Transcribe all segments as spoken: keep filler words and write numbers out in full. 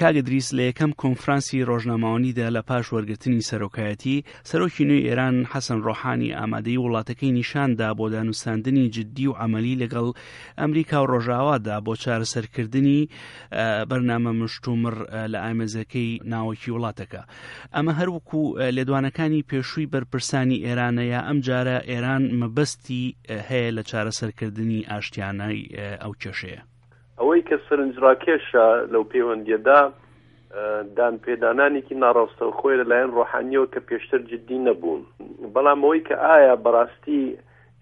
کاک ئیدریس، لە یەکەم کۆنفرانسی ڕۆژنامەوانیدا لە پاش وەرگرتنی سەرۆکایەتی، سەرۆکی نوێی ئێران حەسەن ڕۆحانی ئامادەیی وڵاتەکەی نیشان دا بۆ دانوستاندنی جددی و عەمەلی لەگەڵ ئەمریکا و ڕۆژاوادا بۆ چارەسەرکردنی بەرنامە مشتومڕ لە ئامێزەکەی ناوەکی وڵاتەکە. ئەمە هەر وەکو لێدوانەکانی پێشووی بەرپرسانی ئێرانە یا ئەمجارە ئێران مەبەستی هەیە لە چارەسەرکردنی ئاشتیانەی ئەو کێشەیە؟ ئەوەی کە سەرنجڕاکێشە لەو پەیوەندیەدا دان پێدانانێکی ناڕاستەوخۆی لەلایەن ڕۆحانیەوە کە پێشتر جددی نەبوون، بەڵام ئەوەی کە ئایا بەڕاستی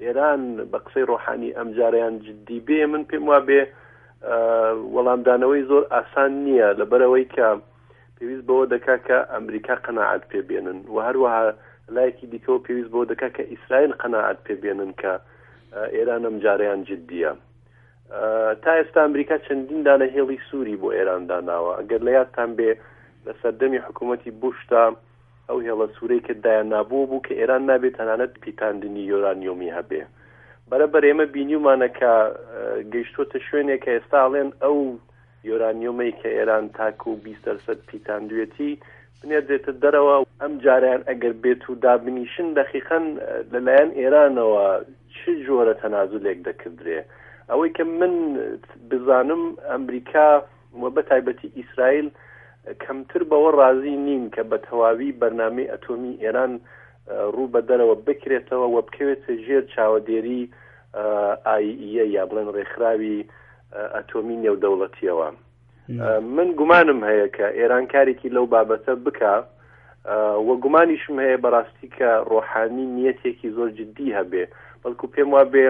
ئێران بە قسەی ڕۆحانی ئەمجارەیان جددی بێ، من پێم وابێ وەڵامدانەوەی زۆر ئاسان نییە، لەبەرەوەی کە پێویست بەوە دەکا کە ئەمریکا قەناعەت پێبێنن و هەروەها لایەکی دیکەوە پێویست بەوە دەکا کە ئیسرائیل قەناعەت پێبێنن کە ئێران ئەمجارەیان جددیە. تا ئێستا ئەمریکا چەندین دانە هێڵی سووری بۆ ئێران داناوە. ئەگەر لە یادتان بێ لە سەردەمی حکوومەتی بوشدا ئەو هێڵە سوورەی کە دایان نابوو بوو کە ئێران نابێت تەنانەت پیتاندنی یۆرانیۆمی هەبێ. بەرەبەر ئێمە بینیومانە کە گەیشتووەتە شوێنێک کە ئێستا ئەڵێن ئەو یۆرانیۆمەی کە ئێران تاکو بیست دەرسەد پیتاندوێتی بنێردرێتە دەرەوە. ئەم جاریان ئەگەر بێت و دابنیشن دەقیقەن لەلایەن ئێرانەوە چ جۆرە تەنازولێک دەکردرێ؟ ئەوەی کە من بزانم ئەمریکا و بە تایبەتی ئیسرائیل کەمتر بەوە ڕازی نین کە بە تەواوی بەرنامەی ئەتۆمی ئێران ڕوو بە دەرەوە بکرێتەوە و بکەوێتە ژێر چاوەدێری ئای یا بڵێن ڕێکخراوی ئەتۆمی نێودەوڵەتیەوە. من گومانم هەیە کە ئێران کارێکی لەو بابەتە بکە و گومانیشم هەیە بەڕاستی کە ڕۆحانی نیەتێکی زۆر جددی هەبێ، بەڵکو پێم وابێ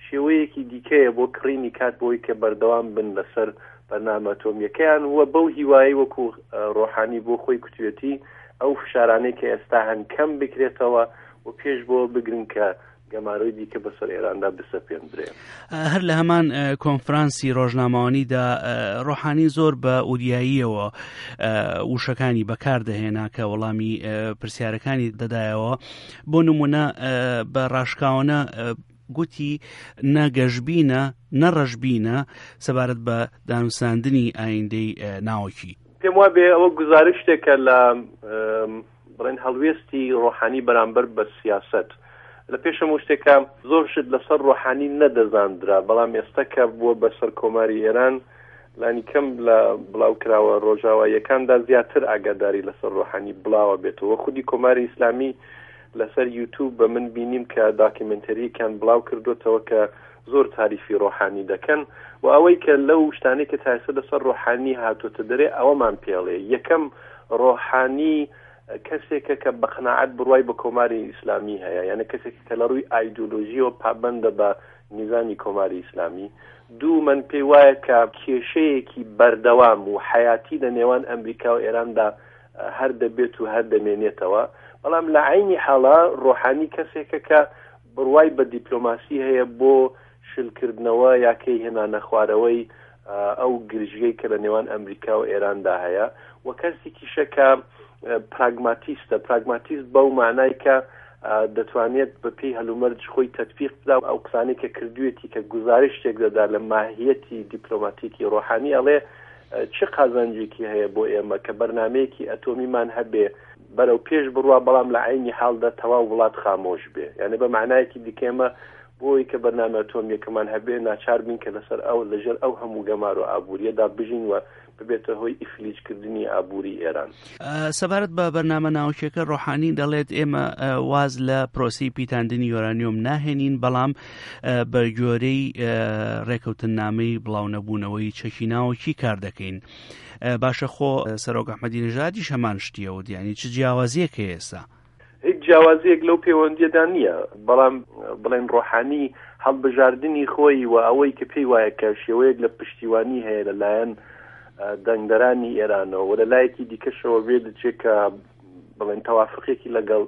شێوەیەکی دیکەیە بۆ کڕینی کات بۆی کە بەردەوام بن لەسەر بەرنامە ئەتۆمیەکەیان و بەو هیوایی وەکو ڕۆحانی بۆ خۆی کوتوێتی ئەو فشارانەی کە ئێستا هەن کەم بکرێتەوە و پێش بۆ بگرن کە گەمارۆی دیکە بەسەر ئێراندا بسەپێندرێ. هەر لە هەمان کۆنفرانسی ڕۆژنامەوانیدا ڕۆحانی زۆر بە ئوریاییەوە وشەکانی بەکاردەهێنا کە وەڵامی پرسیارەکانی دەدایەوە. بۆ نمونە بە ڕاشکاوانە گوتی نە گەشبینە نە ڕەشبینە سەبارەت بە دانوساندنی ئایندەی ناوەکی. پێم وابێ ئەوە گزارشتێکە لە بڵێن هەڵوێستی ڕۆحانی بەرامبەر بە سیاسەت. لە پێشەم شتێکە زۆر شت لەسەر ڕۆحانی نەدەزاندرا، بەڵام ئێستا کە بووە بەسەر کۆماری ئێران لانی کەم لە بڵاوکراوە ڕۆژاواییەکاندا زیاتر ئاگاداری لەسەر ڕۆحانی بڵاوە بێتەوە. خودی کۆماری ئیسلامی لەسەر یوتیوب بە من بینیم کە داکیومنتەریەکیان بڵاو کردوتەوە کە زۆر تاریفی ڕۆحانی دەکەن و ئەوەی کە لەو شتانەی کە تا ئێستا لەسەر ڕۆحانی هاتووەتە دەرێ ئەوەمان پێڵێ. یەکەم، ڕۆحانی کەسێکە کە بە قەناعەت بڕوای بە کۆماری ئیسلامی هەیە، یعنی کەسێک کە لە ڕووی ئایدۆلۆژیەوە پابەندە بە نیزامی کۆماری ئیسلامی. دوو، من پێی وایە کە کێشەیەکی بەردەوام و حیاتی لە نێوان ئەمریکا و ئێراندا هەر دەبێت و هەر دەمێنێتەوە. بەڵام لە عینی حاڵا ڕۆحانی کەسێکە کە بڕوای بە دیپلۆماسی هەیە بۆ شلکردنەوە یاکەی هێنانە خوارەوەی ئەو گرژیەی کە لە نێوان ئەمریکا و ئێراندا هەیە و کەسێکیشە کە پراگماتیستە. پراگماتیست بەو معنای کە دەتوانێت بە پێی هەلومەرج خۆی تەطبیق بدا. ئەو قسانەی کە کردوێتی کە گزارشتێک دەدا لە ماهیەتی دیپلۆماتیکی ڕۆحانی ئەڵێ چ قازانجێکی هەیە بۆ ئێمە کە بەرنامەیەکی ئەتۆمیمان هەبێ بەرەو پێش بڕوا، بەڵام لە عینی حاڵدا تەواو وڵات خامۆش بێ. یعنی بە معنایەکی دیکە ئێمە بۆی کە بەرنامە ئەتۆمیەکەمان هەبێ ناچار بین کە لەسەر ئەو لەژێر ئەو هەموو گەمار و ئابووریەدا بژین و ببێتە هۆی ئیفلیجکردنی ئابووری ئێران. سەبارەت بە بەرنامە ناوچەکە ڕۆحانی دەڵێت ئێمە واز لە پرۆسی پیتاندنی یۆرانیۆم ناهێنین، بەڵام بە گوێرەی ڕێکەوتننامەی بڵاونەبوونەوەی چەکی ناوەکی کار دەکەین. باشە خۆ سەرۆک ئەحمەدی نژادیش هەمان شتیەوە، یعنی چ جیاوازیەک هەیە ئێستا؟ هیچ جیاوازیەک لەو پەیوەندیەدا نییە، بەڵام بڵێن ڕۆحانی هەڵبژاردنی خۆی و ئەوەی کە پێی وایە کە شێوەیەک لە پشتیوانی هەیە لەلایەن دەنگدەرانی ئێرانەوە و لە لایەکی دیکەشەوە بێ دەچێت کە بڵێن تەوافقێکی لەگەڵ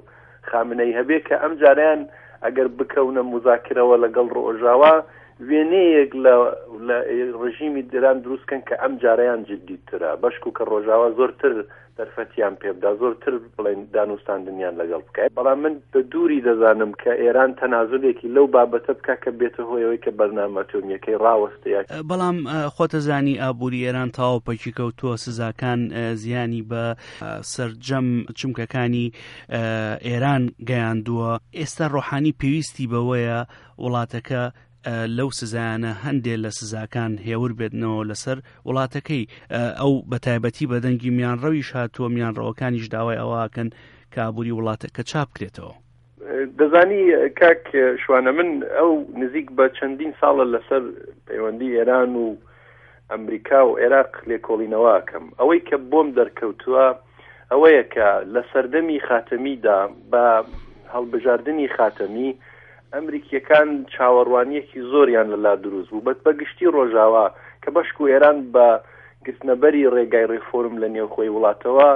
خامنەی هەبێ کە ئەم جاریان ئەگەر بکەونە مذاکرەوە لەگەڵ ڕۆژاوا وێنەیەک لە لە ڕژیمی ئێران دروست کەن کە ئەم جارەیان جدیترە، بەشکو کە ڕۆژاوا زۆرتر دەرفەتیان پێبدا، زۆرتر بڵێن دانوستاندنیان لەگەڵ بکات. بەڵام من بە دووری دەزانم کە ئێران تەنازولێکی لەو بابەتە بکە کە بێتە هۆیەوەی کە بەرنامە ئەتۆمیەکەی ڕاوەستەیە. بەڵام خۆتەزانی ئابووری ئێران تەواو پەکی کەوتووە، سزاکان زیانی بە سەرجەم چمکەکانی ئێران گەیاندووە. ئێستا ڕۆحانی پێویستی بەوەیە وڵاتەکە لەو سزایانە هەندێک لە سزاکان هێور بێتنەوە لەسەر وڵاتەکەی. ئەو بە تایبەتی بەدەنگی میانڕەویش هاتووە، میانڕەوەکانیش داوای ئەوەکەن کە ئابووری وڵاتەکە چاپ بکرێتەوە. دەزانی کاک شوانە، من ئەو نزیک بە چەندین ساڵە لەسەر پەیوەندی ئێران و ئەمریکا و عێراق لێکۆڵینەوەکەم. ئەوەی کە بۆم دەرکەوتووە ئەوەیە کە لە سەردەمی خاتەمیدا بە هەڵبژاردنی خاتەمی ئەمریکیەکان چاوەڕوانیەکی زۆریان لەلا دروست بوو، بەت بەگشتی ڕۆژاوا کە بەشک و ئێران بە گرتنەبەری ڕێگای ڕێفۆرم لە نێوخۆی وڵاتەوە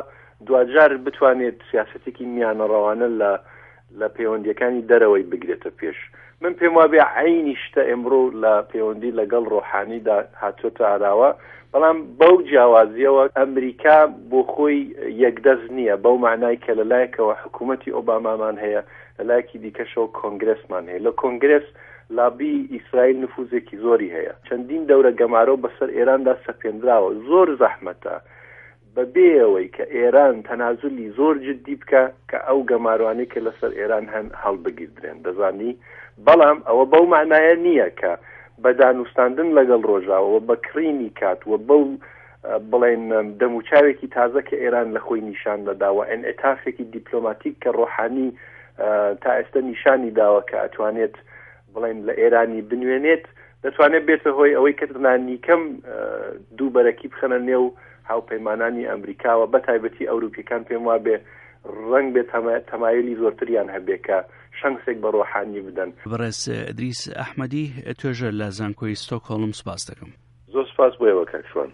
دوجار بتوانێت سیاسەتێکی میانەڕەوانە لە لە پەیوەندیەکانی دەرەوەی بگرێتە پێش. من پێم وابێ عینی شتە ئێمڕۆ لە پەیوەندی لەگەڵ ڕۆحانیدا هاتوۆتە ئاراوە، بەڵام بەو جیاوازیەوە ئەمریکا بۆ خۆی یەکدەست نییە، بەو معنای کە لەلایەکەوە حکوومەتی ئۆبامامان هەیە، لەلایەکی دیکەشەوە کۆنگرسمان هەیە. لە کۆنگرس لابی ئیسرائیل نفوزێکی زۆری هەیە، چەندین دەورە گەمارۆ بەسەر ئێراندا سەپێنراوە. زۆر زەحمەتە بەبێ ئەوەی کە ئێران تەنازلی زۆر جدی بکە کە ئەو گەماروانەی کە لەسەر ئێران هەن هەڵبگیردرێن، دەزانی. بەڵام ئەوە بەو معنایە نییە کە بە دانوستاندن لەگەڵ ڕۆژاوە بە کڕینی کات و بەو بڵێن دەموچاوێکی تازە کە ئێران لە خۆی نیشان دەداوە، ئینعتافێکی دیپلۆماتیک کە ڕۆحانی تا ئێستا نیشانی داوە کە ئەتوانێت بڵێن لە ئێرانی بنوێنێت، دەتوانێت بێتە هۆی ئەوەی کە لانیکەم دوو بەرەکی بخەنە نێو هاوپەیمانانی ئەمریکاوە، بە تایبەتی ئەوروپیەکان پێم وابێ ڕەنگ بێت تەمایلی زۆرتریان هەبێ کە شەنسێک بە ڕۆحانی بدەن. بەڕێز ئیدریس ئەحمەدی، توێژەر لە زانکۆی ستۆکهۆڵم، سپاس دەکەم. زۆر سپاس بۆ ئێوە کاک شوان.